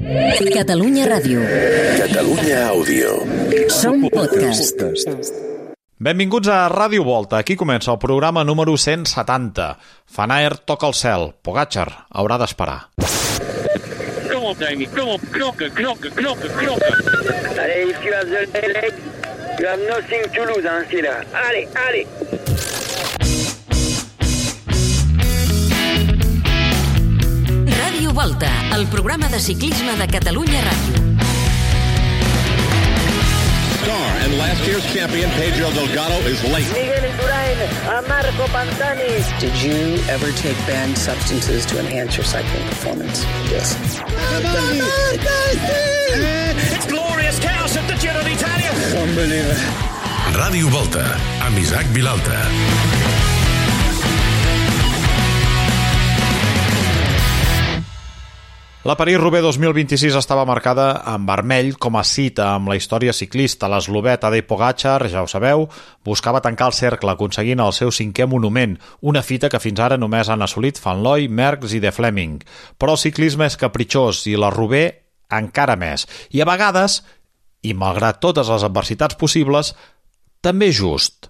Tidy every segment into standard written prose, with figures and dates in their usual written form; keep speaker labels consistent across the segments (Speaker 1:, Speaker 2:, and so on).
Speaker 1: Catalunya Ràdio.
Speaker 2: Catalunya Àudio.
Speaker 1: Som podcast.
Speaker 3: Benvinguts a Ràdio Volta. Aquí comença el programa número 170. Van Aert toca el cel. Pogačar haurà d'esperar.
Speaker 4: Come on, Damien. Come on. Knocker.
Speaker 5: Allez, if you have the leg, you have nothing to lose, hein, c'est là. Allez.
Speaker 1: Ràdio Volta, el programa de ciclisme de Catalunya Ràdio.
Speaker 6: Star and last year's champion Pedro Delgado is late.
Speaker 5: Miguel Indurain, Marco Pantani.
Speaker 7: Did you ever take banned substances to enhance your cycling performance? Yes.
Speaker 4: It's glorious chaos at the Giro d'Italia.
Speaker 2: Ràdio Volta, amb Isaac Vilalta.
Speaker 3: La París-Roubaix 2026 estava marcada en vermell com a cita amb la història ciclista. L'eslovè Tadej Pogačar, ja ho sabeu, buscava tancar el cercle aconseguint el seu 5è monument, una fita que fins ara només han assolit Van Looy, Merckx i De Fleming. Però el ciclisme és capritxós i la Roubaix encara més. I a vegades, i malgrat totes les adversitats possibles, també just.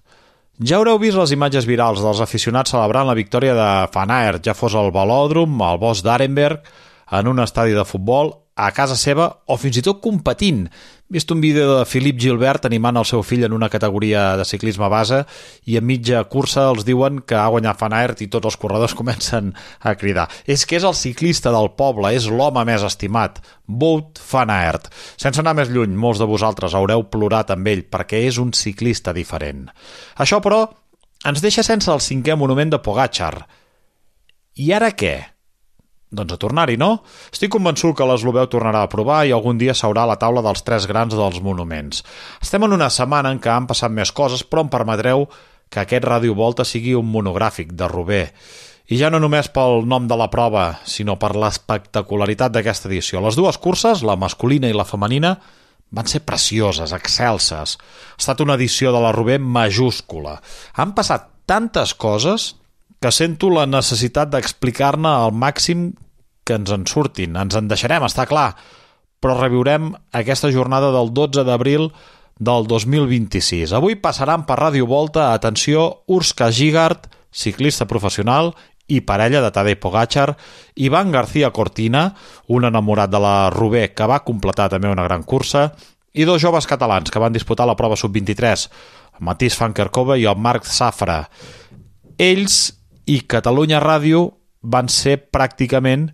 Speaker 3: Ja haureu vist les imatges virals dels aficionats celebrant la victòria de Van Aert, ja fos al velòdrom, al bosc d'Arenberg, en un estadi de futbol, a casa seva o fins i tot competint. He vist un vídeo de Philippe Gilbert animant el seu fill en una categoria de ciclisme base i a mitja cursa els diuen que ha guanyat Van Aert i tots els corredors comencen a cridar. És que és el ciclista del poble, és l'home més estimat. Wout van Aert. Sense anar més lluny, molts de vosaltres haureu plorat amb ell perquè és un ciclista diferent. Això, però, ens deixa sense el 5è monument de Pogačar. I ara què? Doncs a tornar-hi, no? Estic convençut que l'eslovè tornarà a provar i algun dia s'haurà a la taula dels 3 grans dels monuments. Estem en una setmana en què han passat més coses, però em permetreu que aquest Ràdio Volta sigui un monogràfic de Roubaix. I ja no només pel nom de la prova, sinó per l'espectacularitat d'aquesta edició. Les dues curses, la masculina i la femenina, van ser precioses, excelses. Ha estat una edició de la Roubaix majúscula. Han passat tantes coses que sento la necessitat d'explicar-ne al màxim que ens en surtin. Ens en deixarem, està clar, però reviurem aquesta jornada del 12 d'abril del 2026. Avui passaran per Ràdio Volta, atenció, Urška Žigart, ciclista professional i parella de Tadej Pogačar, Ivan García Cortina, un enamorat de la Roubaix que va completar també una gran cursa, i 2 joves catalans que van disputar la prova sub-23, el Matís van Kerkhove i el Marc Zafra. Ells i Catalunya Ràdio van ser pràcticament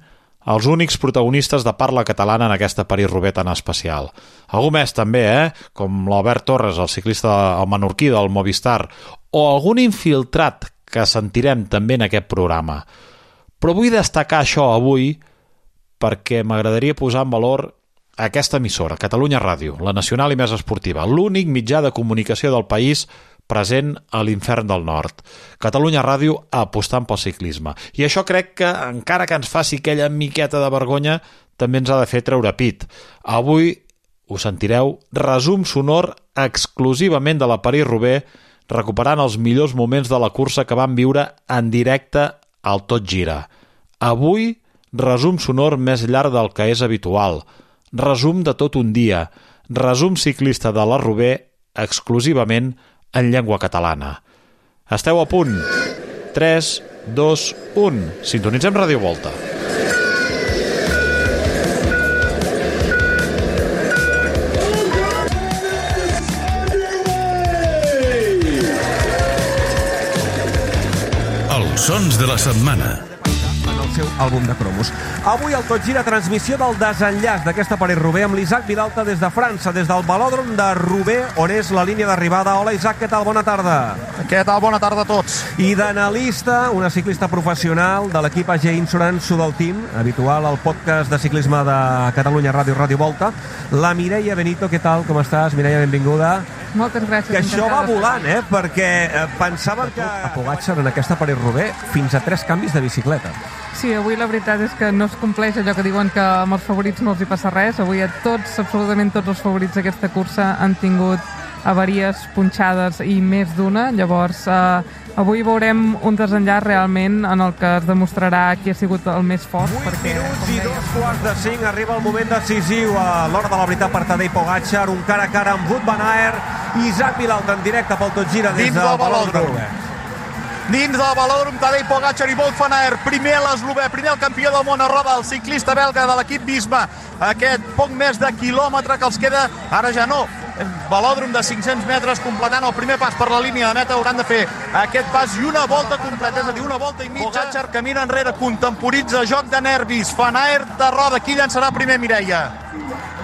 Speaker 3: els únics protagonistes de parla catalana en aquesta París-Roubaix tan especial. Algú més també, com l'Albert Torres, el ciclista el menorquí del Movistar, o algun infiltrat que sentirem també en aquest programa. Però vull destacar això avui perquè m'agradaria posar en valor aquesta emissora, Catalunya Ràdio, la nacional i més esportiva, l'únic mitjà de comunicació del país present a l'infern del nord. Catalunya Ràdio apostant pel ciclisme. I això crec que, encara que ens faci aquella miqueta de vergonya, també ens ha de fer treure pit. Avui, ho sentireu, resum sonor exclusivament de la París-Roubaix, recuperant els millors moments de la cursa que van viure en directe al Tot Gira. Avui, resum sonor més llarg del que és habitual. Resum de tot un dia. Resum ciclista de la Roubaix exclusivament en llengua catalana. Esteu a punt? 3, 2, 1. Sintonitzem Ràdio Volta.
Speaker 2: Els sons de la setmana.
Speaker 8: Seu àlbum de cromos. Avui el Tot Gira, transmissió del desenllaç d'aquesta París-Roubaix amb l'Isaac Vilalta des de França, des del velòdrom de Roubaix, on és la línia d'arribada. Hola, Isaac, què tal? Bona tarda.
Speaker 9: Què tal? Bona tarda a tots.
Speaker 8: I d'analista, una ciclista professional de l'equip AG Insurance Sudal Team, habitual al podcast de ciclisme de Catalunya Ràdio, Ràdio Volta, la Mireia Benito. Què tal? Com estàs? Mireia, benvinguda.
Speaker 10: Moltes gràcies.
Speaker 8: Que això va volant, perquè pensàvem que a Pogačar en aquesta París-Roubaix fins a 3 canvis de bicicleta.
Speaker 10: Sí, avui la veritat és que no es compleix allò que diuen que amb els favorits no els hi passa res. Avui a tots, absolutament tots els favorits d'aquesta cursa han tingut avaries, punxades i més d'una. Llavors, Avui veurem un desenllaç realment en el que es demostrarà qui ha sigut el més fort.
Speaker 8: 8 minuts i 2:45, arriba el moment decisiu a l'hora de la veritat per Tadej Pogačar, un cara a cara amb Wout van Aert, Isaac Vilalta en directe pel Tot Gira des del Velòdrom.
Speaker 9: Dins del Velòdrom, Tadej Pogačar i Wout van Aert, primer l'eslovè, primer el campió del món a roda, el ciclista belga de l'equip Visma, aquest poc més de quilòmetre que els queda, ara ja no, velòdrom de 500 metres, completant el primer pas per la línia de meta, hauran de fer aquest pas i una volta completa, és a dir, una volta i mitja. Pogačar camina enrere, contemporitza, joc de nervis, Van Aert de roda, qui llançarà primer, Mireia?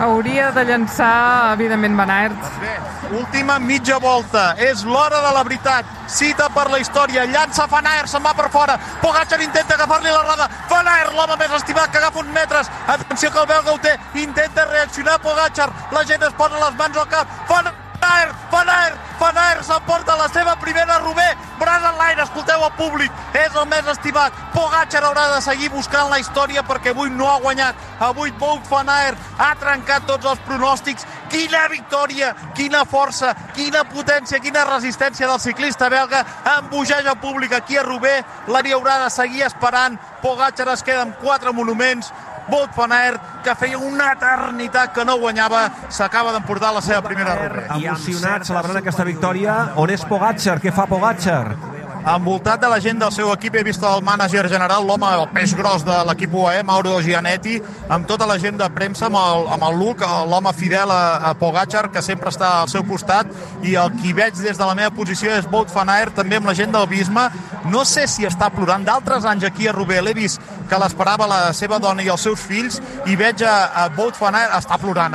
Speaker 10: Hauria de llançar, evidentment, Van Aert.
Speaker 9: Bé, última mitja volta, és l'hora de la veritat, cita per la història, llança Van Aert, se'n va per fora, Pogačar intenta agafar-li la roda, Van Aert, l'home més estimat, que agafa uns metres, atenció que el belga ho té, intenta reaccionar Pogačar, la gent es posa les mans al cap, Van Aert s'emporta la seva primera Roubaix, braç en l'aire, escolteu el públic, és el més estimat, Pogačar haurà de seguir buscant la història perquè avui no ha guanyat, avui Wout van Aert ha trencat tots els pronòstics, quina victòria, quina força, quina potència, quina resistència del ciclista belga, embogeja el públic aquí a Roubaix, l'hi haurà de seguir esperant, Pogačar es queda amb 4 monuments, Wout van Aert, que feia una eternitat que no guanyava, s'acaba d'emportar la seva primera Roubaix.
Speaker 8: Emocionat, celebrant aquesta victòria. On és Pogačar? Què fa Pogačar?
Speaker 9: Envoltat de la gent del seu equip, he vist el mànager general, l'home, el peix gros de l'equip UAE, Mauro Gianetti, amb tota la gent de premsa, amb el Luc, l'home fidel a Pogačar, que sempre està al seu costat, i el qui veig des de la meva posició és Wout van Aert, també amb la gent del Visma. No sé si està plorant. D'altres anys aquí a Roubaix l'he vist que l'esperava la seva dona i els seus fills, i veig a Wout van Aert, està plorant.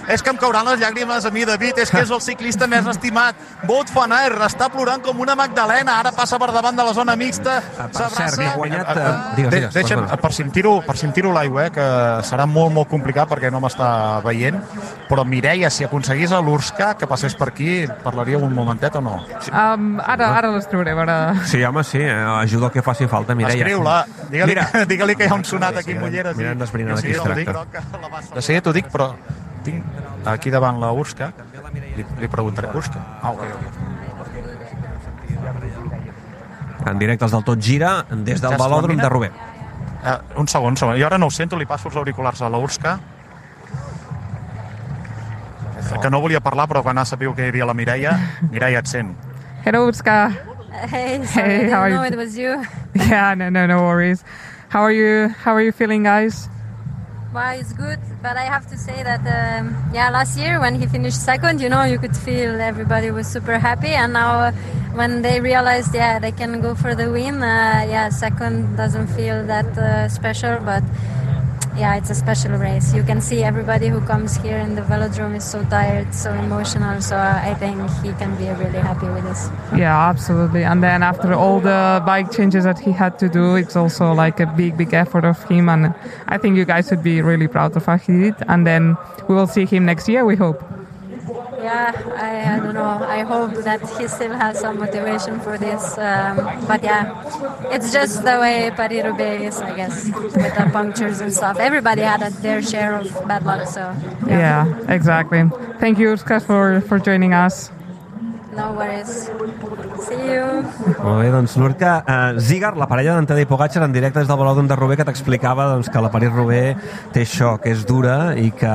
Speaker 9: És que em cauran les llàgrimes a mi, David, és que és el ciclista més estimat. Wout van Aert està plorant com una Magdalena, ara passa per davant de la zona mixta, s'abraça.
Speaker 8: Ha guanyat...
Speaker 9: Deixa'm, per si em tiro l'aigua, que serà molt, molt complicat perquè no m'està veient, però Mireia, si aconseguís a l'Urska que passés per aquí, parlaria un momentet o no?
Speaker 10: Ara les trauré, ara...
Speaker 8: Sí, home, sí, ajuda el que faci falta, Mireia.
Speaker 9: Escriu-la, digue-li que hi ha un sonat aquí amb ulleres.
Speaker 8: Mira, d'esbrinar de qui es tracta.
Speaker 9: De seguida t'ho dic, però tinc aquí davant la Urska, li preguntaré, Urska? Ok.
Speaker 8: En directe els del Tot Gira, des del Velòdrom de Roubaix.
Speaker 9: Un segon. Jo ara no ho sento, li passo els auriculars a la Urska. Que no volia parlar, però quan ha sabut que hi havia la Mireia, Mireia, et sent.
Speaker 10: Hello, Urska.
Speaker 11: Hey, sorry, I didn't know it was you.
Speaker 10: Yeah, no worries. How are you feeling, guys?
Speaker 11: Well, it's good, but I have to say that, last year when he finished second, you could feel everybody was super happy, and now when they realized, they can go for the win, second doesn't feel that special, but it's a special race. You can see everybody who comes here in the velodrome is so tired, so emotional, so I think he can be really happy with this.
Speaker 10: Yeah, absolutely. And then after all the bike changes that he had to do, it's also like a big effort of him, and I think you guys should be really proud of what he did, and then we will see him next year, we hope.
Speaker 11: Yeah, I don't know. I hope that he still has some motivation for this. But it's just the way Paris-Roubaix is, I guess, with the punctures and stuff. Everybody had their share of bad luck, so...
Speaker 10: Yeah, exactly. Thank you, Urska, for joining us.
Speaker 11: No worries. See you.
Speaker 8: Molt bé, doncs l'Urka Zigar, la parella d'en Tadej Pogačar, en directe des del Velòdrom de Roubaix, que t'explicava que la París-Roubaix té això, que és dura i que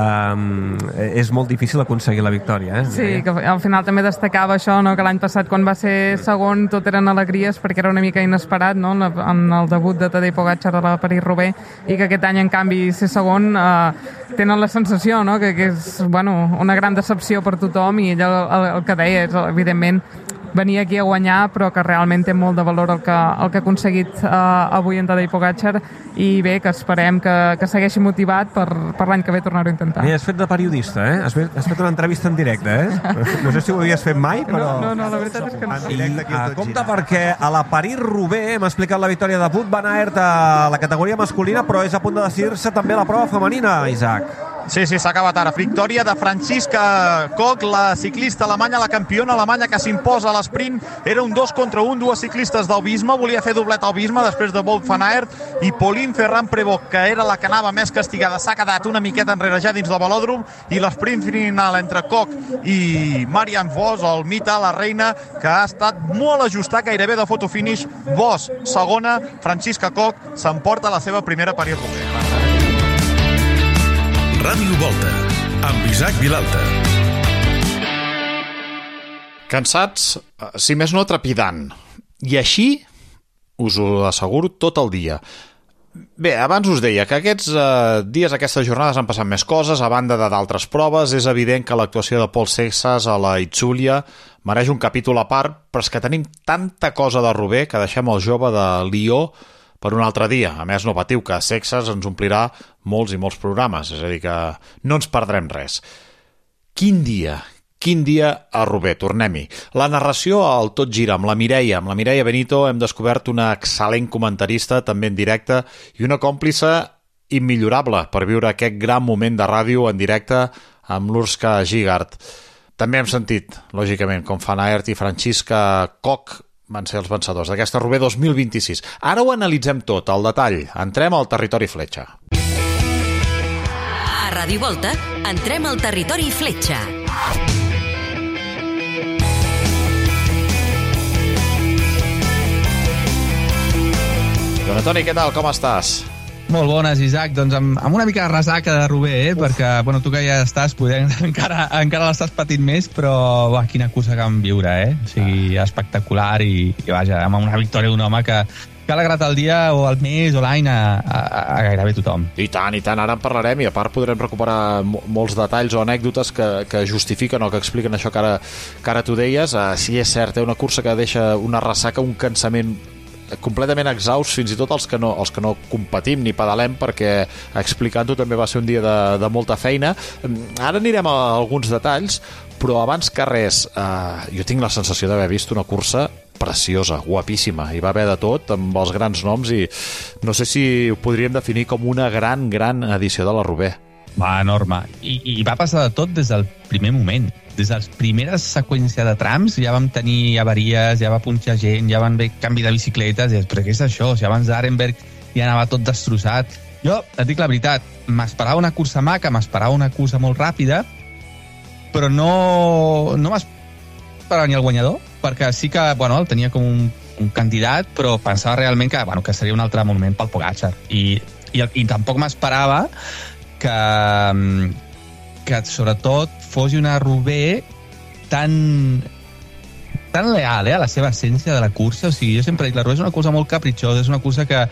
Speaker 8: és molt difícil aconseguir la victòria.
Speaker 10: Sí, que al final també destacava això, que l'any passat quan va ser segon tot eren alegries perquè era una mica inesperat, en el debut de Tadej Pogačar a la París-Roubaix, i que aquest any en canvi ser segon tenen la sensació que és una gran decepció per tothom, i ell el que deia és evidentment venir aquí a guanyar, però que realment té molt de valor el que ha aconseguit avui en Tadej Pogačar, i bé, que esperem que segueixi motivat per l'any que ve tornar-ho a intentar.
Speaker 8: Has fet de periodista, Has fet una entrevista en directe, No sé si ho havies fet mai, però...
Speaker 10: No, la veritat és que no.
Speaker 8: I compte perquè a la París-Roubaix hem explicat la victòria de Wout van Aert a la categoria masculina, però és a punt de decidir-se també la prova femenina, Isaac.
Speaker 9: Sí, s'ha acabat ara. Victòria de Franziska Koch, la ciclista alemanya, la campiona alemanya que s'imposa a l'esprint. Era un 2 contra 1, dues ciclistes del Visma. Volia fer doblet al Visma després de Wout van Aert. I Pauline Ferrand-Prévot, que era la que anava més castigada, s'ha quedat una miqueta enrere ja dins del velòdrom. I l'esprint final entre Koch i Marianne Vos, el mite, la reina, que ha estat molt ajustat, gairebé de fotofinish. Vos, segona, Franziska Koch s'emporta la seva primera París-Roubaix.
Speaker 2: Ràdio Volta, amb Isaac Vilalta.
Speaker 3: Cansats, si més no trepidant. I així, us ho asseguro, tot el dia. Bé, abans us deia que aquests dies, aquestes jornades han passat més coses, a banda d'altres proves. És evident que l'actuació de Paul Seixas a la Itzulia mereix un capítol a part, però és que tenim tanta cosa de Roubaix que deixem el jove de Lió per un altre dia. A més, no patiu, que Seixas ens omplirà molts i molts programes, és a dir que no ens perdrem res. Quin dia a Roubaix, tornem-hi. La narració al Tot Gira amb la Mireia Benito. Hem descobert una excel·lent comentarista, també en directe, i una còmplice immillorable per viure aquest gran moment de ràdio en directe amb l'Urska Gigart. També hem sentit, lògicament, com Van Aert i Franziska Koch van ser els vencedors d'aquesta Roubaix 2026. Ara ho analitzem tot, al detall. Entrem al territori fletxa.
Speaker 1: A Ràdio Volta, entrem al territori fletxa.
Speaker 3: Joan Antoni, què tal? Com estàs?
Speaker 12: Molt bones, Isaac. Doncs amb una mica de ressaca de Roubaix, perquè bueno, tu que ja estàs, encara l'estàs patint més, però quina cursa que vam viure, O sigui, espectacular i vaja, amb una victòria d'un home que ha alegrat el dia o el mes o l'any a gairebé tothom.
Speaker 3: I tant, ara en parlarem i a part podrem recuperar molts detalls o anècdotes que justifiquen o que expliquen això que ara tu deies. Sí, és cert, una cursa que deixa una ressaca, un cansament completament exhaust, fins i tot els que no competim ni pedalem, perquè explicant-ho també va ser un dia de molta feina. Ara anirem a alguns detalls, però abans que res, jo tinc la sensació d'haver vist una cursa preciosa, guapíssima. Hi va haver de tot, amb els grans noms, i no sé si ho podríem definir com una gran edició de la Roubaix.
Speaker 12: Va, enorme. I va passar de tot des del primer moment. Des de les primeres seqüències de trams ja vam tenir avaries, ja va punxar gent, ja van haver canvi de bicicletes, però què és això? Si abans d'Arenberg ja anava tot destrossat. Jo, et dic la veritat, m'esperava una cursa maca, m'esperava una cursa molt ràpida, però no m'esperava ni el guanyador, perquè sí que, el tenia com un candidat, però pensava realment que seria un altre monument pel Pogačar. I tampoc m'esperava que sobretot fos una Roubaix tan leal a la seva essència de la cursa. O sigui, jo sempre dic, la Roubaix és una cursa molt capritxosa, és una cursa que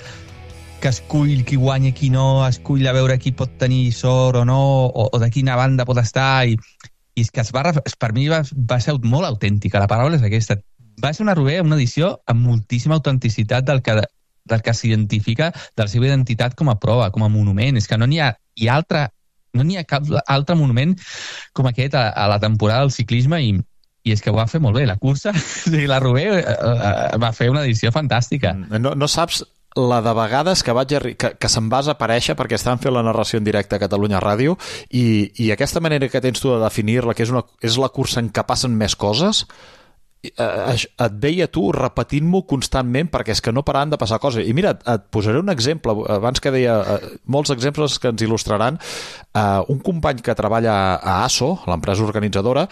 Speaker 12: escull qui guanya, qui no, escull a veure qui pot tenir sort o no, o de quina banda pot estar, i és que per mi va ser molt autèntica, la paraula és aquesta. Va ser una Roubaix, una edició amb moltíssima autenticitat del que s'identifica de la seva identitat com a prova, com a monument. És que no n'hi ha cap altre monument com aquest a la temporada del ciclisme, i és que ho va fer molt bé la cursa. La Roubaix va fer una edició fantàstica.
Speaker 3: No saps la de vegades que se'm va aparèixer perquè estàvem fent la narració en directe a Catalunya Ràdio, i aquesta manera que tens tu de definir-la, que és la cursa en què passen més coses, et veia tu repetint-m'ho constantment, perquè és que no paraven de passar coses. I mira, et posaré un exemple, abans que deia molts exemples que ens il·lustraran. Un company que treballa a ASO, l'empresa organitzadora,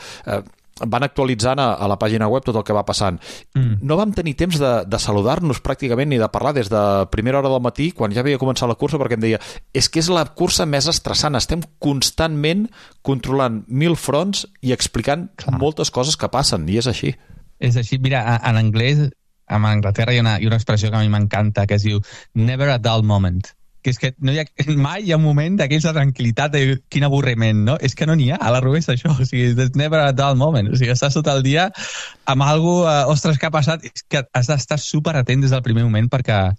Speaker 3: van actualitzant a la pàgina web tot el que va passant. No vam tenir temps de saludar-nos pràcticament ni de parlar des de primera hora del matí, quan ja havia començat la cursa, perquè em deia, és que és la cursa més estressant, estem constantment controlant 1000 fronts i explicant moltes coses que passen, i és així.
Speaker 12: És així, mira, en anglès, a Anglaterra hi ha una expressió que a mi m'encanta, que es diu never a dull moment, que és que mai hi ha un moment d'aquells de tranquil·litat, de quin avorriment, no? És que no n'hi ha, a la Roubaix això, o sigui, never a dull moment, o sigui, estàs tot el dia amb alguna cosa, ostres, què ha passat? És que has d'estar superatent des del primer moment perquè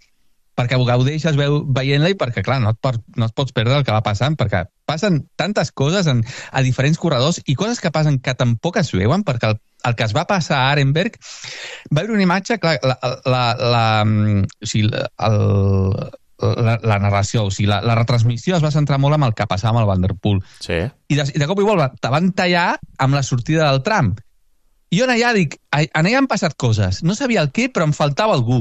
Speaker 12: gaudeixes veient-la, i perquè, clar, no et pots perdre el que va passant, perquè passen tantes coses a diferents corredors, i coses que passen que tampoc es veuen, perquè el que es va passar a Arenberg, va haver una imatge, clar, la narració, o sigui, la retransmissió es va centrar molt en el que passava amb el Van der Poel.
Speaker 3: Sí.
Speaker 12: I de cop i volta te van tallar amb la sortida del tram. I jo allà dic, allà han passat coses, no sabia el què, però em faltava algú.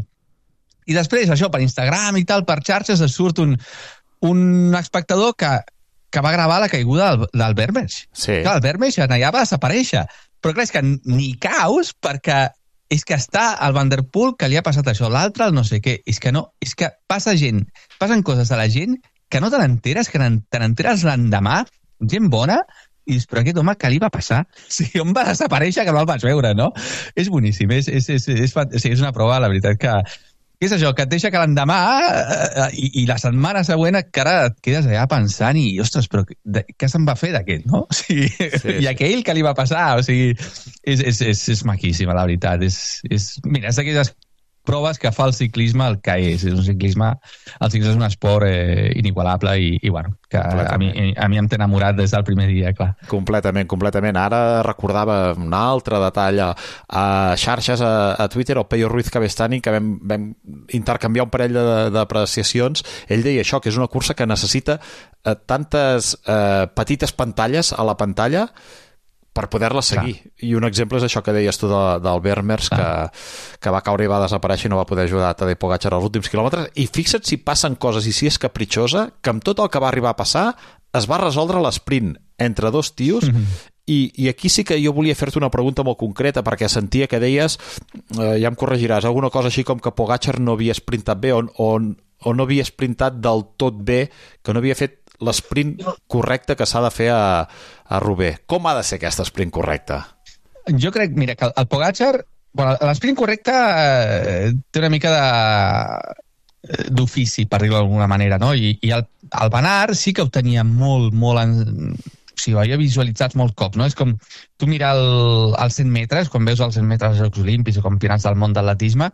Speaker 12: I després, això, per Instagram i tal, per xarxes, es surt un espectador que va gravar la caiguda del Vermeersch.
Speaker 3: Sí.
Speaker 12: Clar, el Vermeersch allà va desaparèixer. Però clar, és que ni caus, perquè és que està el Van der Poel que li ha passat això, l'altre el no sé què. És que no, és que passen coses a la gent que no te n'enteres, que te n'enteres l'endemà, gent bona, i dius, però aquest home, què li va passar? Sí, on va desaparèixer que no el vaig veure, no? És boníssim, és una prova, la veritat, que és això, que et deixa que l'endemà i la setmana següent encara et quedes allà pensant i, ostres, però què se'n va fer d'aquest, no? O sigui, sí. I aquell que li va passar, o sigui, és maquíssima, la veritat. Mira, és d'aquelles proves que fa el ciclisme el que és. El ciclisme és un esport inigualable i bueno, que a mi em té enamorat des del primer dia, clar.
Speaker 3: Completament. Ara recordava un altre detall a xarxes, a Twitter, el Peyo Ruiz Cabestany, que vam intercanviar un parell d'apreciacions. Ell deia això, que és una cursa que necessita tantes petites pantalles a la pantalla per poder-la seguir. I un exemple és això que deies tu del Vermeersch, que va caure i va desaparèixer i no va poder ajudar a Tadej Pogačar als últims quilòmetres. I fixa't si passen coses i si és capritxosa, que amb tot el que va arribar a passar es va resoldre l'esprint entre dos tios. I aquí sí que jo volia fer-te una pregunta molt concreta, perquè sentia que deies, ja em corregiràs, alguna cosa així com que Pogačar no havia sprintat bé o no havia sprintat del tot bé, que no havia fet l'esprint correcte que s'ha de fer a Roubaix. Com ha de ser aquest esprint correcte?
Speaker 12: Jo crec, mira, que el Pogačar, l'esprint correcte té una mica d'ofici, per dir-ho d'alguna manera, no? I el Van Aert sí que ho tenia molt ho havia visualitzat molt cop, no? És com tu mirar els 100 metres, quan veus els 100 metres als Jocs Olímpics o campionats del món d'atletisme,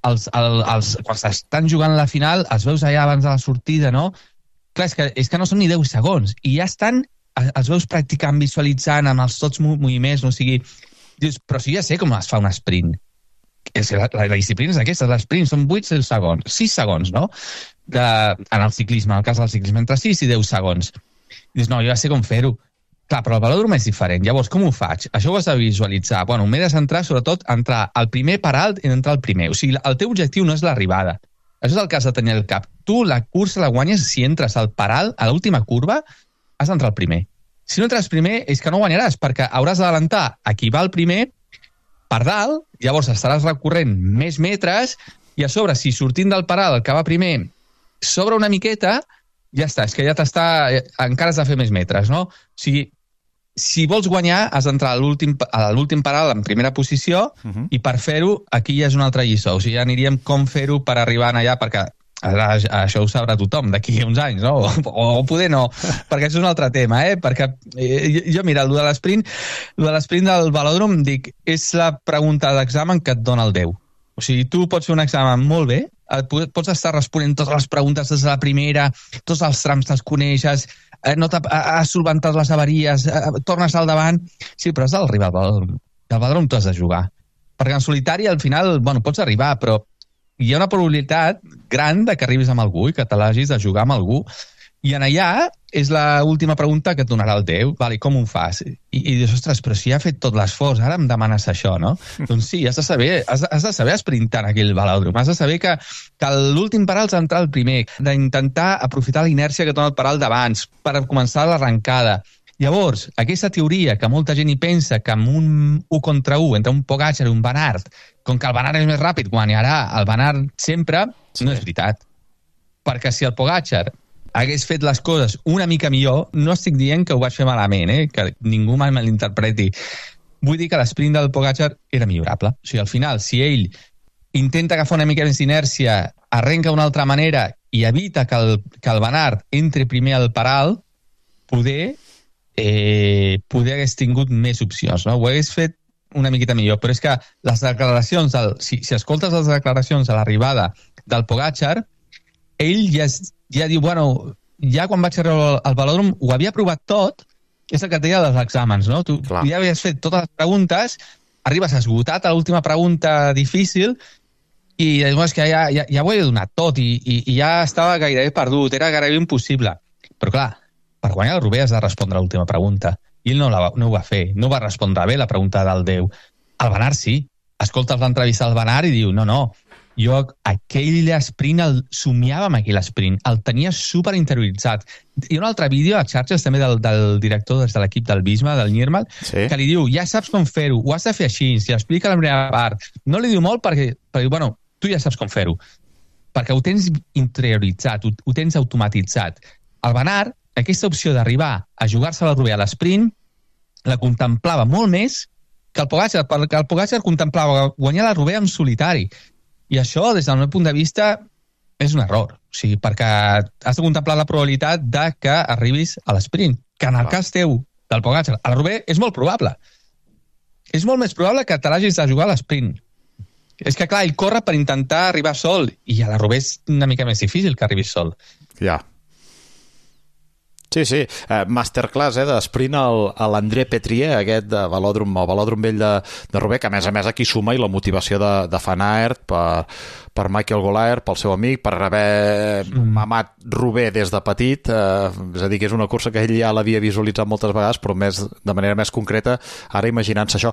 Speaker 12: quan s'estan jugant la final, els veus allà abans de la sortida, no? Clar, és que no són ni 10 segons i ja els veus practicant, visualitzant amb els tots moviments, no? O sigui, dius, però si ja sé com es fa un sprint. La disciplina és aquesta, l'esprint són 8 segons, 6 segons, no? En el ciclisme, en el cas del ciclisme, entre 6 i 10 segons. Dius, no, jo ja sé com fer-ho. Clar, però el velòdrom és diferent. Llavors, com ho faig? Això ho has de visualitzar. Bueno, m'he de centrar, sobretot, a entrar al primer per alt i entrar al primer. O sigui, el teu objectiu no és l'arribada. Això és el que has de tenir al cap. Tu la cursa la guanyes si entres al paral, a l'última curva, has d'entrar al primer. Si no entres primer, és que no guanyaràs, perquè hauràs d'adelantar a qui va al primer per dalt, llavors estaràs recorrent més metres, i a sobre, si sortint del paral, el que va primer, s'obre una miqueta, ja està, és que ja encara has de fer més metres, no? O sigui, si vols guanyar, has d'entrar a l'últim paral en primera posició i per fer-ho, aquí ja és una altra lliçó. O sigui, ja aniríem com fer-ho per arribar allà, perquè això ho sabrà tothom d'aquí uns anys, no? O poder no, perquè això és un altre tema, perquè jo, mira, el de l'esprint del velòdrom, dic, és la pregunta d'examen que et dona el Déu. O sigui, tu pots fer un examen molt bé, pots estar responent totes les preguntes des de la primera, tots els trams te'ls coneixes, has solventat les avaries, tornes al davant. Sí, però has d'arribar al velòdrom. Al velòdrom tu has de jugar. Perquè en solitari, al final, pots arribar, però hi ha una probabilitat gran de que arribis amb algú i que te l'hagis de jugar amb algú. I en allà és l'última pregunta que et donarà el Déu. Vale, com ho fas? I dius, ostres, però si ha fet tot l'esforç, ara em demanes això, no? Doncs sí, has de saber esprintar en aquell velòdrom. Has de saber que l'últim paral has d'entrar al primer, d'intentar aprofitar la inèrcia que et dona el paral d'abans per començar l'arrencada. Llavors, aquesta teoria que molta gent hi pensa que amb un 1 contra 1 entre un Pogačar i un Van Aert, com que el Van Aert és més ràpid, guanyarà el Van Aert sempre, no és veritat. Perquè si el Pogačar hagués fet les coses una mica millor, no estic dient que ho vaig fer malament, que ningú mai me l'interpreti. Vull dir que l'esprint del Pogačar era millorable. O sigui, al final, si ell intenta agafar una mica més d'inèrcia, arrenca d'una altra manera i evita que el Van Aert entri primer al paral, poder hagués tingut més opcions, no? Ho hagués fet una miqueta millor, però és que les declaracions, si escoltes les declaracions a l'arribada del Pogačar, ell ja diu, bueno, ja quan vaig arribar al velòdrom ho havia provat tot, és el que et deia dels exàmens, no? Tu ja havies fet totes les preguntes, arribes esgotat a l'última pregunta difícil I és que ja ho he donat tot i ja estava gairebé perdut, era gairebé impossible. Però clar, per guanyar el Roubaix has de respondre a l'última pregunta. I ell no ho va fer, no va respondre bé la pregunta del Déu. El Van Aert sí. Escolta, l'entrevista al Van Aert i diu, no, jo aquell sprint el somiava amb aquell sprint, el tenia super interioritzat. Hi ha un altre vídeo a xarxes també del director de l'equip del Visma, del Niermal, que li diu, ja saps com fer-ho, ho has de fer així, si explica la primera part. No li diu molt perquè bueno, tu ja saps com fer-ho, perquè ho tens interioritzat, ho tens automatitzat. El Van Aert, aquesta opció d'arribar a jugar-se la Roubaix a l'esprint, la contemplava molt més que el Pogačar, perquè el Pogačar contemplava guanyar la Roubaix en solitari. I això, des del meu punt de vista, és un error. O sigui, perquè has de contemplar la probabilitat de que arribis a l'esprint, que en el cas teu del Pogačar a la Roubaix és molt probable. És molt més probable que te l'hagis de jugar a l'esprint. És que, clar, ell corre per intentar arribar sol, i a la Roubaix és una mica més difícil que arribis sol.
Speaker 3: Ja. Sí. Masterclass d'esprint a l'André Petrier, aquest de velòdrom vell de Roubaix, que a més aquí suma i la motivació de Van Aert per Michael Golaert, pel seu amic, per haver mamat Roubaix des de petit, és a dir, que és una cursa que ell ja l'havia visualitzat moltes vegades, però de manera més concreta, ara imaginant-se això.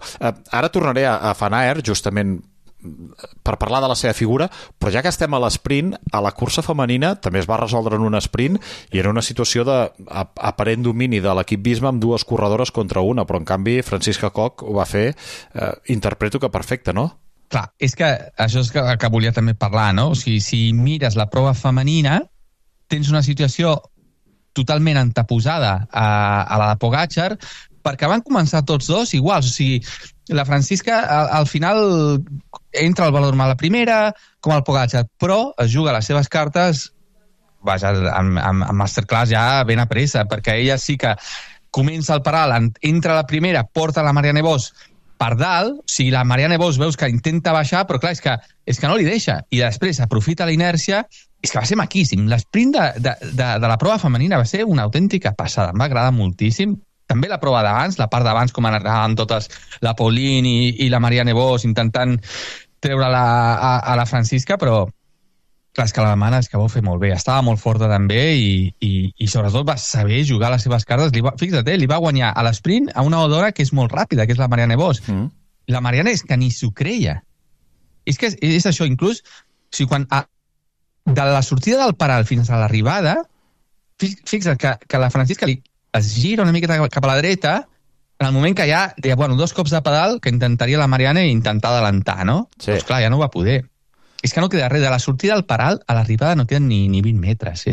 Speaker 3: Ara tornaré a Van Aert, justament per parlar de la seva figura, però ja que estem a l'esprint, a la cursa femenina també es va resoldre en un sprint i era una situació d'aparent domini de l'equip Visma amb dues corredores contra una, però en canvi Francisca Koch ho va fer, interpreto que perfecte, no?
Speaker 12: Clar, és que això és que volia també parlar, no? O sigui, si mires la prova femenina, tens una situació totalment anteposada a la de Pogačar, perquè van començar tots dos iguals, o sigui, la Francisca al final entra al velòdrom a la primera, com el Pogačar, però es juga les seves cartes amb masterclass ja ben a pressa, perquè ella sí que comença el paral, entra a la primera, porta la Marianne Vos per dalt, o sigui, la Marianne Vos veus que intenta baixar, però clar, és que no li deixa, i després aprofita la inèrcia, és que va ser maquíssim. L'esprint de la prova femenina va ser una autèntica passada, em va agradar moltíssim. També la prova d'abans, la part d'abans, com anaven totes la Pauline i la Marianne Vos intentant treure-la a la Francisca, però clar, és que l'alemana és que ho va fer molt bé, estava molt forta també i sobretot va saber jugar les seves cartes. Fixa't, li va guanyar a l'esprint a una odora que és molt ràpida, que és la Marianne Vos. La Marianne és que ni s'ho creia. És que és això, inclús, o sigui, quan de la sortida del paral fins a l'arribada, fixa't que la Francisca es gira una miqueta cap a la dreta en el moment que ja deia, bueno, 2 cops de pedal que intentaria la Marianne intentar adelantar, no? Sí. Doncs clar, ja no va poder. És que no queda res. De la sortida del paral a l'arribada no queden ni 20 metres.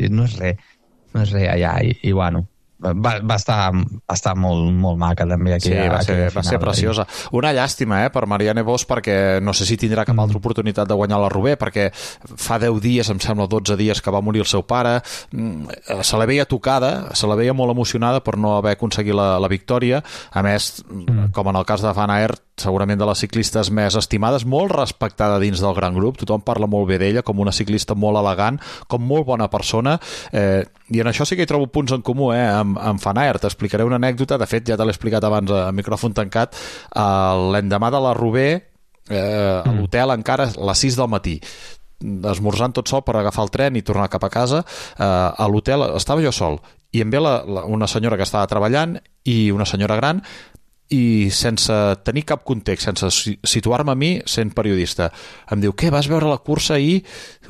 Speaker 12: No és res. No és res allà. I bueno, va estar molt maca també aquí.
Speaker 3: Sí, va ser preciosa. Una llàstima per Marianne Vos, perquè no sé si tindrà cap altra oportunitat de guanyar la Roubaix, perquè fa 10 dies, em sembla 12 dies que va morir el seu pare, se la veia tocada, se la veia molt emocionada per no haver aconseguit la victòria. A més, com en el cas de Van Aert, segurament de les ciclistes més estimades, molt respectada dins del gran grup, tothom parla molt bé d'ella, com una ciclista molt elegant, com molt bona persona, i en això sí que hi trobo punts en comú amb Van Aert. T'explicaré una anècdota, de fet ja te l'he explicat abans a micròfon tancat, l'endemà de la Roubaix, a l'hotel encara a les 6 del matí, esmorzant tot sol per agafar el tren i tornar cap a casa. A l'hotel estava jo sol i em ve una senyora que estava treballant i una senyora gran, i sense tenir cap context, sense situar-me a mi sent periodista, em diu, què, vas veure la cursa ahir?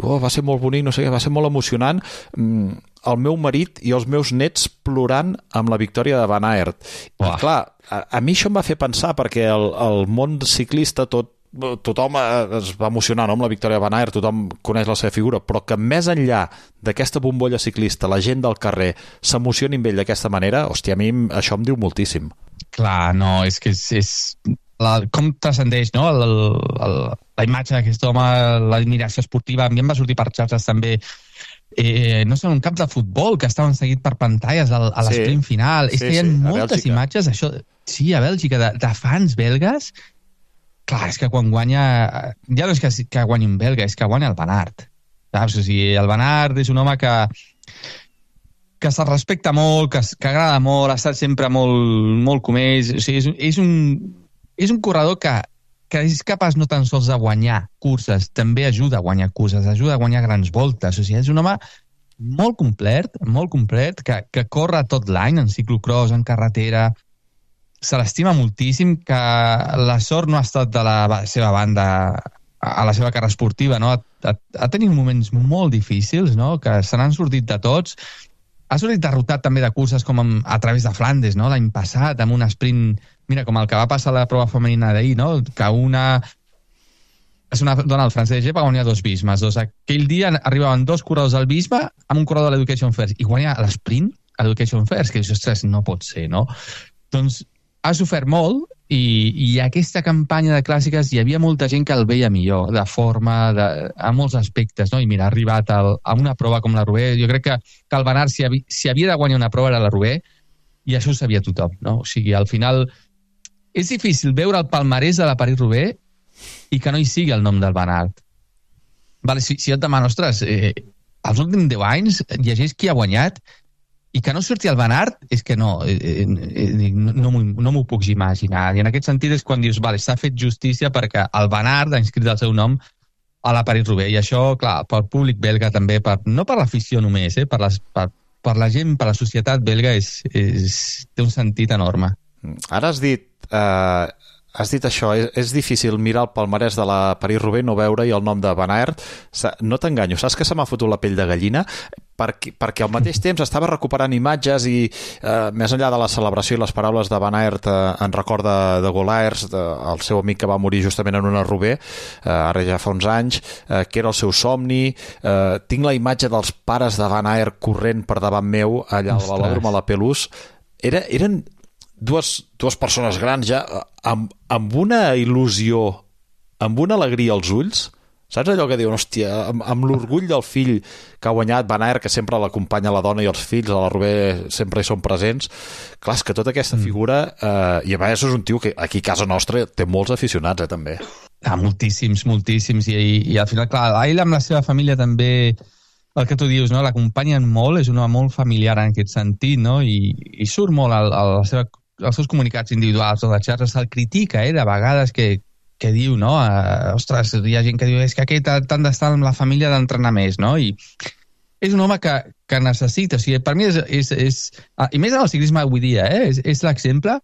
Speaker 3: Va ser molt bonic, no sé què, va ser molt emocionant, el meu marit i els meus nets plorant amb la victòria de Van Aert. I clar, a mi això em va fer pensar, perquè el món ciclista tothom es va emocionar, no?, amb la victòria de Van Aert, tothom coneix la seva figura, però que més enllà d'aquesta bombolla ciclista, la gent del carrer s'emocioni amb ell d'aquesta manera, hòstia, a mi això em diu moltíssim.
Speaker 12: Clar, no, és que és com transcendeix, no?, la imatge d'aquest home, l'admiració esportiva. A mi em va sortir per xarxes també, no sé, un camp de futbol que estaven seguit per pantalles a l'esprint final. És que hi ha moltes imatges, això, sí, a Bèlgica, de fans belgues. Clar, és que quan guanya, ja no és que guanyi un belga, és que guanya el Van Aert. Saps? O sigui, el Van Aert és un home que se'l respecta molt, que agrada molt, ha estat sempre molt com ells. O sigui, és un corredor que que és capaç no tan sols de guanyar curses, també ajuda a guanyar curses, ajuda a guanyar grans voltes. O sigui, és un home molt complet, que corre tot l'any en ciclocross, en carretera, se l'estima moltíssim, que la sort no ha estat de la seva banda a la seva carrera esportiva, no? Ha tenit moments molt difícils, no? Que se n'han sortit de tots. Ha sortit derrotat també de curses com a través de Flandes, no? L'any passat, amb un sprint, mira, com el que va passar a la prova femenina d'ahir, no? Que és una dona del francès va guanyar 2 Bismes. Aquell dia arribaven 2 corredors al Bisbe amb un corredor de l'Education First i guanya l'esprint a l'Education First, que ostres, no pot ser, no? Doncs ha sofert molt i aquesta campanya de clàssiques hi havia molta gent que el veia millor, de forma, a molts aspectes, no? I mira, ha arribat a una prova com la Roubaix. Jo crec que el Van Aert, si havia de guanyar una prova, era la Roubaix, i això ho sabia tothom, no? O sigui, al final és difícil veure el palmarès de la París-Roubaix i que no hi sigui el nom del Van Aert. Vale, si jo et demano, ostres, els últims 10 anys llegeix qui ha guanyat i que no surti el Van Aert, és que no m'ho puc imaginar. I en aquest sentit és quan dius, vale, s'ha fet justícia perquè el Van Aert ha inscrit el seu nom a la París-Roubaix. I això, clar, pel públic belga també, no per l'afició només, per la gent, per la societat belga, té un sentit enorme.
Speaker 3: Ara has dit això, és difícil mirar el palmarès de la París-Roubaix, no veure-hi el nom de Van Aert. No t'enganyo, saps que se m'ha fotut la pell de gallina? Perquè al mateix temps estava recuperant imatges i més enllà de la celebració i les paraules de Van Aert en record de Golaers, el seu amic que va morir justament en una Roubaix, ara ja fa uns anys, que era el seu somni. Tinc la imatge dels pares de Van Aert corrent per davant meu allà al velòdrom a la Pelouse. Eren dues persones grans ja amb una il·lusió, amb una alegria als ulls. Saps allò que diuen, hòstia, amb l'orgull del fill que ha guanyat, Van Aert, que sempre l'acompanya la dona i els fills, a la Roubaix sempre hi són presents. Clar, és que tota aquesta figura, i a vegades és un tio que aquí a casa nostra té molts aficionats, també.
Speaker 12: Moltíssims, i al final, clar, ell amb la seva família també, el que tu dius, no? L'acompanyen molt, és un home molt familiar en aquest sentit, no? I surt molt als seus comunicats individuals o de xarxes, se'l critica, de vegades que diu, no? Ostres, hi ha gent que diu, és que aquest tant d'estar amb la família d'entrenar més, no? I és un home que necessita, o sigui, per mi és i més en el ciclisme avui dia, és l'exemple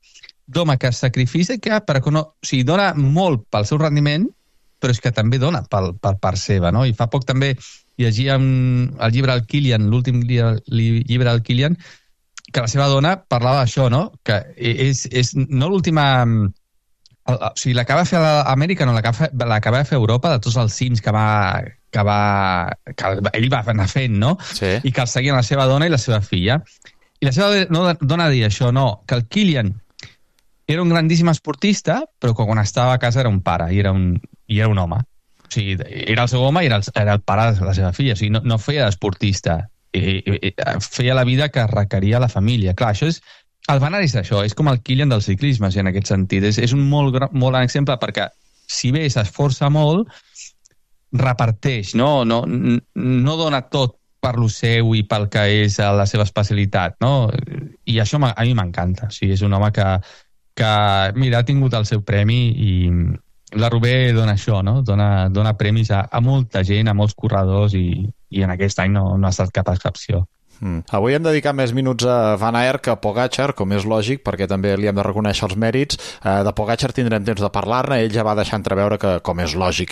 Speaker 12: d'home que es sacrifica perquè no, o sigui, dona molt pel seu rendiment, però és que també dona per part seva, no? I fa poc també llegíem el llibre del Kilian, l'últim llibre del Kilian, que la seva dona parlava d'això, no? Que és no l'última... O sigui, la que va fer a Amèrica, no, la que va fer a Europa, de tots els cims que ell va anar fent, no?
Speaker 3: Sí.
Speaker 12: I que el seguien la seva dona i la seva filla. I la seva dona deia això, no, que el Kilian era un grandíssim esportista, però quan estava a casa era un pare, i era un home. O sigui, era el seu home i era el pare de la seva filla. O sigui, no feia d'esportista. Feia la vida que requeria la família. Clar, això és... El Van Aert és això, és com el Kilian del ciclisme, en aquest sentit. És un molt gran exemple perquè, si bé s'esforça molt, reparteix, no dona tot per lo seu i pel que és la seva especialitat, no? I això a mi m'encanta. O sigui, és un home que mira, ha tingut el seu premi i la Roubaix dona això, no? Dona premis a molta gent, a molts corredors i en aquest any no ha estat cap excepció.
Speaker 3: Avui hem dedicat més minuts a Van Aert que a Pogačar, com és lògic, perquè també li hem de reconèixer els mèrits. De Pogačar tindrem temps de parlar-ne. Ell ja va deixar entreveure que, com és lògic,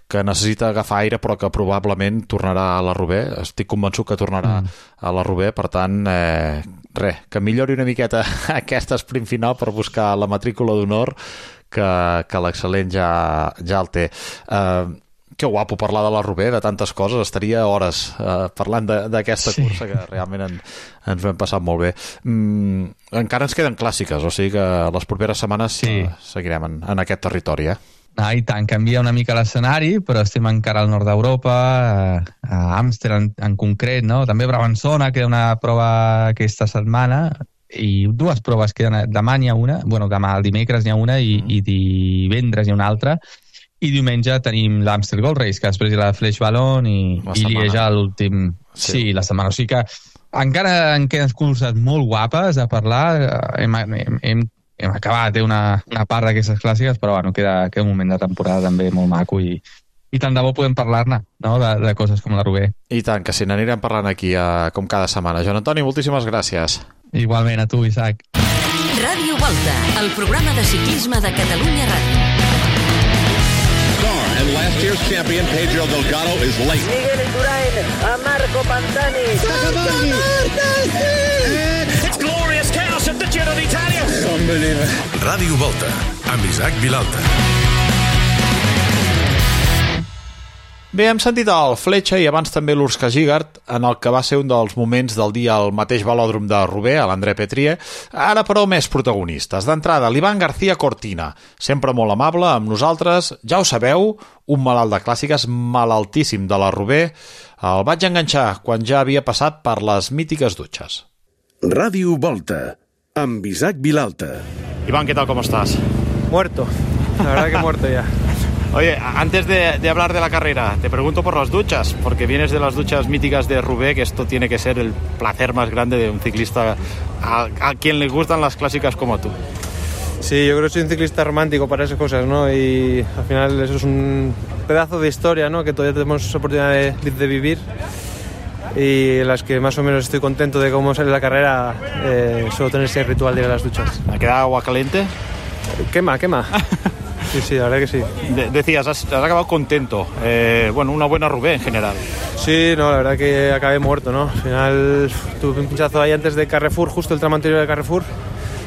Speaker 3: que necessita agafar aire, però que probablement tornarà a la Roubaix. Estic convençut que tornarà a la Roubaix, per tant, que millori una miqueta aquest sprint final per buscar la matrícula d'honor, que l'excel·lent ja el té. Que guapo parlar de la Roubaix, de tantes coses. Estaria hores parlant d'aquesta cursa que realment ens ho hem passat molt bé. Encara ens queden clàssiques, o sigui que les properes setmanes seguirem en aquest territori,
Speaker 12: I tant, canvia una mica l'escenari, però estem encara al nord d'Europa, a Amsterdam en concret, no? També a Brabançona queda una prova aquesta setmana, i 2 proves queden. Demà n'hi ha una, demà el dimecres n'hi ha una i divendres n'hi ha una altra. I diumenge tenim l'Amstel Gold Race, que després hi ha la Flèche Wallonne i Lieja l'últim... Sí, la setmana. O sigui que encara en queden curses molt guapes a parlar. Hem hem acabat una part d'aquestes clàssiques, però bueno, queda un moment de temporada també molt maco i tant de bo podem parlar-ne, no?, de coses com la Roubaix.
Speaker 3: I tant, que si n'anirem parlant aquí com cada setmana. Joan Antoni, moltíssimes gràcies.
Speaker 12: Igualment, a tu, Isaac.
Speaker 1: Ràdio Volta, el programa de ciclisme de Catalunya Ràdio.
Speaker 6: And last year's champion, Pedro Delgado, is late.
Speaker 5: Miguel Indurain a Marco Pantani.
Speaker 4: It's glorious chaos at the Giro d'Italia.
Speaker 6: Unbelievable.
Speaker 2: Ràdio Volta, amb Isaac Vilalta.
Speaker 3: Bé, hem sentit el Fletxa i abans també l'Urs Gigart en el que va ser un dels moments del dia al mateix velòdrom de Roubaix, a l'André Pétrie. Ara, però, més protagonistes. D'entrada, l'Ivan García Cortina, sempre molt amable amb nosaltres. Ja ho sabeu, un malalt de clàssiques malaltíssim de la Roubaix. El vaig enganxar quan ja havia passat per les mítiques dutxes.
Speaker 2: Ràdio Volta, amb Isaac Vilalta.
Speaker 3: Iván, ¿qué tal? ¿Cómo estás?
Speaker 13: Muerto, la verdad que muerto ya.
Speaker 3: Oye, antes de hablar de la carrera, te pregunto por las duchas, porque vienes de las duchas míticas de Roubaix, que esto tiene que ser el placer más grande de un ciclista a quien le gustan las clásicas como tú.
Speaker 13: Sí, yo creo que soy un ciclista romántico para esas cosas, ¿no? Y al final eso es un pedazo de historia, ¿no?, que todavía tenemos oportunidad de vivir. Y las que más o menos estoy contento de cómo sale la carrera, suelo tener ese ritual de ir a las duchas.
Speaker 3: ¿Ha quedado agua caliente?
Speaker 13: Quema. Sí, la verdad que sí.
Speaker 3: Decías, has acabado contento. Bueno, una buena Roubaix en general.
Speaker 13: Sí, no, la verdad que acabé muerto, ¿no? Al final tuve un pinchazo ahí antes de Carrefour, justo el tramo anterior de Carrefour,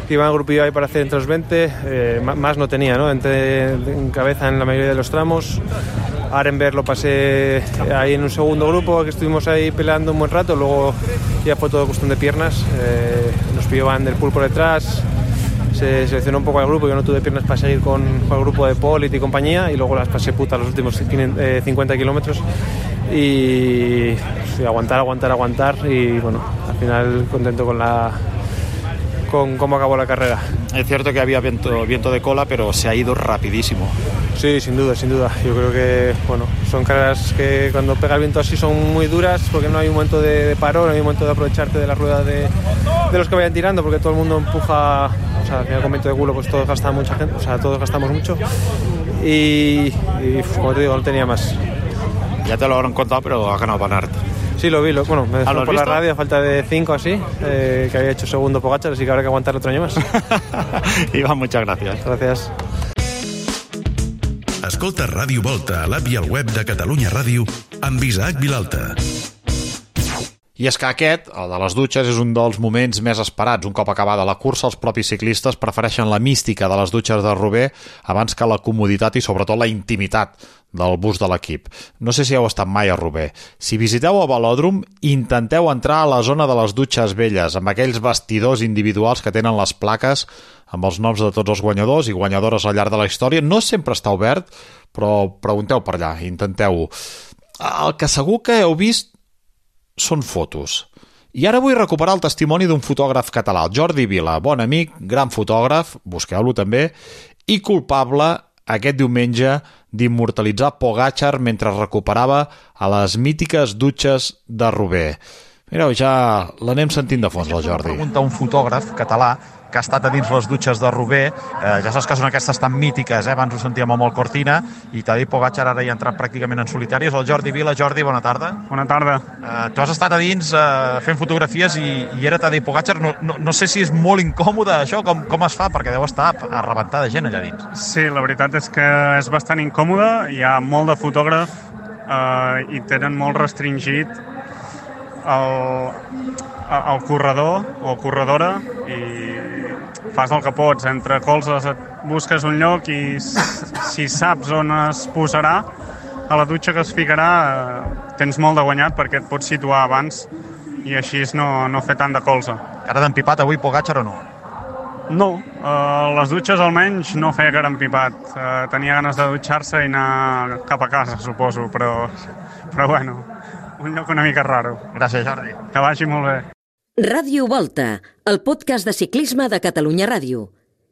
Speaker 13: que iba en grupillo ahí para hacer entre los 20. Más no tenía, ¿no? Entré en cabeza en la mayoría de los tramos. Arenberg lo pasé ahí en un segundo grupo, que estuvimos ahí peleando un buen rato. Luego ya fue todo cuestión de piernas. Nos pilló Van der Poel por detrás. Se seleccionó un poco al grupo, yo no tuve piernas para seguir con el grupo de Polit y compañía, y luego las pasé puta los últimos 50 kilómetros y aguantar y bueno, al final contento con cómo acabó la carrera.
Speaker 3: Es cierto que había viento de cola, pero se ha ido rapidísimo.
Speaker 13: Sí, sin duda. Yo creo que bueno, son carreras que cuando pega el viento así son muy duras, porque no hay un momento de paro, no hay un momento de aprovecharte de la rueda de los que vayan tirando, porque todo el mundo empuja. O sea, al final con viento de culo pues todos gastan mucha gente, o sea, todos gastamos mucho y como te digo, no tenía más.
Speaker 3: Ya te lo habrán contado, pero ha ganado Van Aert.
Speaker 13: Sí, lo vi, bueno, me dejó por
Speaker 3: visto?
Speaker 13: la radio a falta de 5 así, que había hecho segundo Pogačar, así que habrá que aguantar otro año más.
Speaker 3: Iván, muchas gracias.
Speaker 13: Gracias.
Speaker 2: Escolta Ràdio Volta a l'app i al web de Catalunya Ràdio amb Isaac Vilalta.
Speaker 3: I és que aquest, el de les dutxes, és un dels moments més esperats. Un cop acabada la cursa, els propis ciclistes prefereixen la mística de les dutxes de Roubaix abans que la comoditat i sobretot la intimitat del bus de l'equip. No sé si heu estat mai a Roubaix. Si visiteu el velòdrom, intenteu entrar a la zona de les dutxes velles, amb aquells vestidors individuals que tenen les plaques amb els noms de tots els guanyadors i guanyadores al llarg de la història. No sempre està obert, però pregunteu per allà, intenteu-ho. El que segur que heu vist són fotos. I ara vull recuperar el testimoni d'un fotògraf català, el Jordi Vila, bon amic, gran fotògraf, busqueu-lo també, i culpable aquest diumenge d'immortalitzar Pogačar mentre recuperava a les mítiques dutxes de Roubaix. Mireu, ja l'anem sentint de fons, el Jordi.
Speaker 9: Pregunta un fotògraf català que ha estat a dins les dutxes de Roubaix. Ja saps que són aquestes tan mítiques, abans ho sentíem amb el Cortina, i Tadej Pogačar ara hi ha entrat pràcticament en solitari. És el Jordi Vila. Jordi, bona tarda.
Speaker 14: Bona tarda.
Speaker 9: Tu has estat a dins fent fotografies i era Tadej Pogačar. No sé si és molt incòmode això, com es fa, perquè deu estar a rebentar de gent allà dins.
Speaker 14: Sí, la veritat és que és bastant incòmode. Hi ha molt de fotògraf i tenen molt restringit el corredor o corredora i fas el que pots, entre colzes et busques un lloc i si saps on es posarà a la dutxa que es ficarà tens molt de guanyat perquè et pots situar abans i així no fer tant de colze.
Speaker 9: Cara d'empipat avui Pogačar o no?
Speaker 14: No, les dutxes almenys no feia cara empipat. Tenia ganes de dutxar-se i anar cap a casa, suposo, però bueno, un lloc una mica raro.
Speaker 9: Gràcies, Jordi.
Speaker 14: Que vagi molt bé.
Speaker 1: Ràdio Volta, el podcast de ciclisme de Catalunya Ràdio.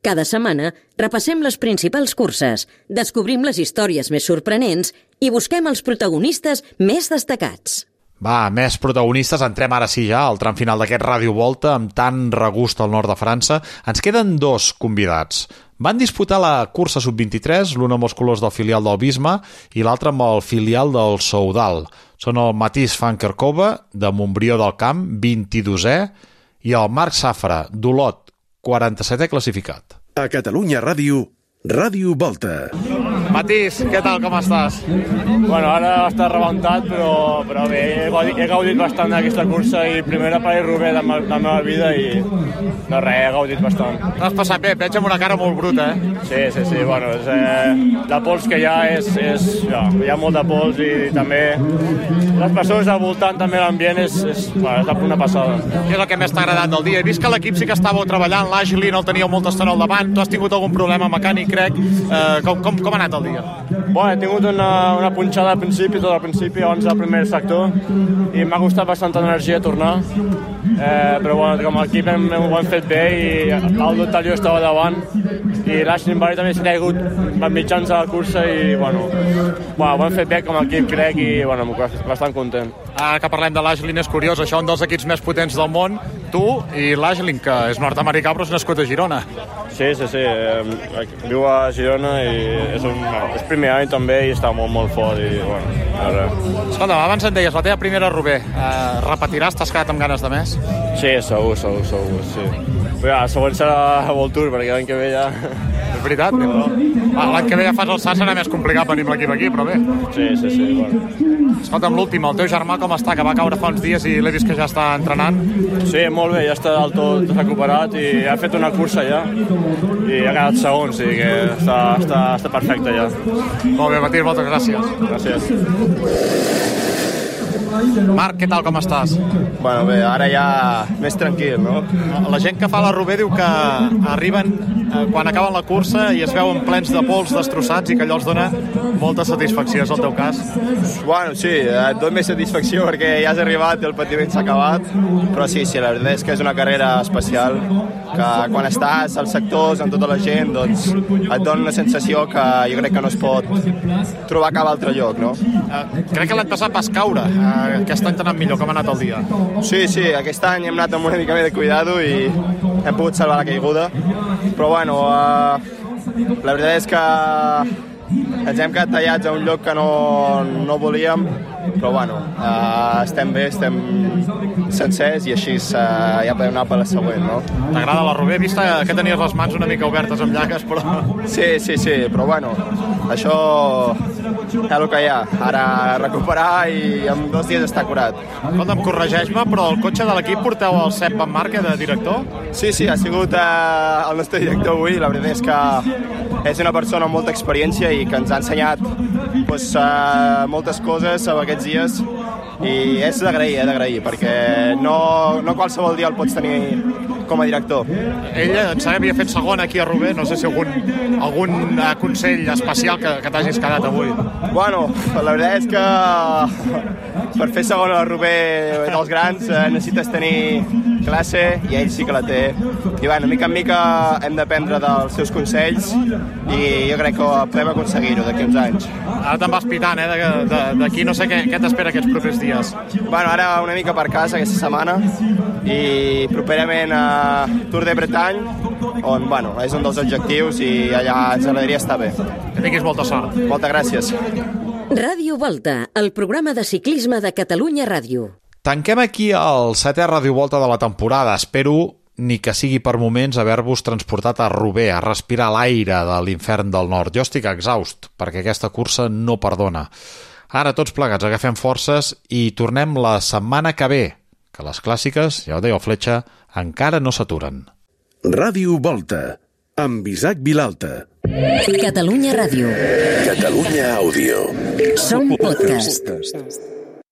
Speaker 1: Cada setmana repassem les principals curses, descobrim les històries més sorprenents i busquem els protagonistes més destacats.
Speaker 3: Va, més protagonistes, entrem ara sí ja al tram final d'aquest Ràdio Volta amb tant regust al nord de França. Ens queden 2 convidats. Van disputar la cursa sub-23, l'un amb els colors del filial del Bisma i l'altre amb el filial del Soudal. Són el Matís van Kerkhove, de Montbrió del Camp, 22è, i el Marc Safra, d'Olot, 47è classificat.
Speaker 2: A Catalunya Ràdio, Ràdio Volta.
Speaker 15: Matís, què tal, com estàs? Bueno, ara està rebentat, però bé, he gaudit bastant d'aquesta cursa i primera París-Roubaix de la meva vida i no res, he gaudit bastant.
Speaker 9: T'has passat bé, et veig amb una cara molt bruta,
Speaker 15: Sí, bueno, la pols que hi ha hi ha molt de pols i també les persones al voltant, també l'ambient és una passada.
Speaker 9: Què és el que més t'ha agradat del dia? He vist que l'equip sí que estàveu treballant, l'Ashley no el teníeu molta estona al davant, tu has tingut algun problema mecànic, crec. Com ha anat el dia?
Speaker 15: Bueno, he tingut una punxada al principi, tot al principi, abans del primer sector, i m'ha costat bastanta energia tornar, però bueno, com a equip ho hem fet bé i el Dotalio estava davant i l'Ashley Barry també s'ha caigut mitjans de la cursa i bueno, ho hem fet bé com a equip, crec, i bueno, bastant content.
Speaker 9: Ara que parlem de l'Ashley, és curiós, això un dels equips més potents del món, tu i l'Ashley, que és nord-americà però és nascut a Girona.
Speaker 15: Sí, viu a Girona i és primer any també i està molt fort i bueno,
Speaker 9: Escolta, abans em deies, la teva primera Roubaix, repetiràs? T'has quedat amb ganes de més?
Speaker 15: Sí, segur, sí. Però ja, següent serà a World Tour, perquè l'any que ve ja...
Speaker 9: És veritat? L'any que ve ja fas el SAS, serà més complicat venir amb l'equip aquí, però bé.
Speaker 15: Sí, bueno.
Speaker 9: Escolta'm, l'últim, el teu germà com està? Que va caure fa uns dies i l'he vist que ja està entrenant.
Speaker 15: Sí, molt bé, ja està del tot recuperat i ha fet una cursa ja i ha quedat segon, o sigui que està perfecte ja.
Speaker 9: Molt bé, Matís, moltes gràcies.
Speaker 15: Gràcies.
Speaker 9: Marc, què tal, com estàs?
Speaker 16: Bueno, bé, ara ja més tranquil, no?
Speaker 9: La gent que fa la Roubaix diu que arriben quan acaben la cursa i es veuen plens de pols destrossats i que allò els dona molta satisfacció, és el teu cas?
Speaker 16: Bueno, sí, et dona més satisfacció perquè ja has arribat i el patiment s'ha acabat, però sí, la veritat és que és una carrera especial, que quan estàs als sectors amb tota la gent, doncs et dona una sensació que jo crec que no es pot trobar a cap altre lloc, no?
Speaker 9: Crec que l'any passat vas caure, aquest any t'ha anat millor, com ha anat el dia?
Speaker 16: Sí, aquest any hem anat amb una mica més de cuidado i hem pogut salvar la caiguda, però bueno, la veritat és que ens hem quedat tallats a un lloc que no volíem, però bueno, estem bé, estem sencers i així ja podem anar per la següent, no?
Speaker 9: T'agrada la Roubaix? He vist que tenies les mans una mica obertes amb llagues, però...
Speaker 16: Sí, però bueno, això és el que hi ha. Ara recuperar i en 2 dies està curat.
Speaker 9: Escolta'm, corregeix-me, però el cotxe de l'equip porteu el Sepp Van Marke de director?
Speaker 16: Sí, ha sigut el nostre director avui. La veritat és que és una persona amb molta experiència i que ens ha ensenyat moltes coses aquests dies i és d'agrair, perquè no qualsevol dia el pots tenir com a director.
Speaker 9: Ell em sembla que havia fet segon aquí a Roubaix, no sé si algun consell especial que t'hagis quedat avui.
Speaker 16: Bueno, la veritat és que per fer segon a la Roubaix dels grans necessites tenir classe i ell sí que la té. I bueno, mica en mica hem d'aprendre dels seus consells i jo crec que podem aconseguir-ho d'aquí uns anys.
Speaker 9: Ara te'n vas pitant, d'aquí no sé què t'espera aquests propers dies.
Speaker 16: Bueno, ara una mica per casa aquesta setmana i properament a Tour de Bretagne, on bueno, és un dels objectius i allà ens agradaria estar bé.
Speaker 9: Que tinguis molta sort.
Speaker 16: Moltes gràcies.
Speaker 1: Ràdio Volta, el programa de ciclisme de Catalunya Ràdio.
Speaker 3: Tanquem aquí el 7è Ràdio Volta de la temporada. Espero, ni que sigui per moments, haver-vos transportat a Roubaix, a respirar l'aire de l'infern del nord. Jo estic exhaust, perquè aquesta cursa no perdona. Ara tots plegats agafem forces i tornem la setmana que ve, que les clàssiques, ja ho deia el Fletxa, encara no s'aturen.
Speaker 2: Ràdio Volta, amb Isaac Vilalta.
Speaker 1: Catalunya Ràdio.
Speaker 2: Catalunya Àudio.
Speaker 1: Som podcast.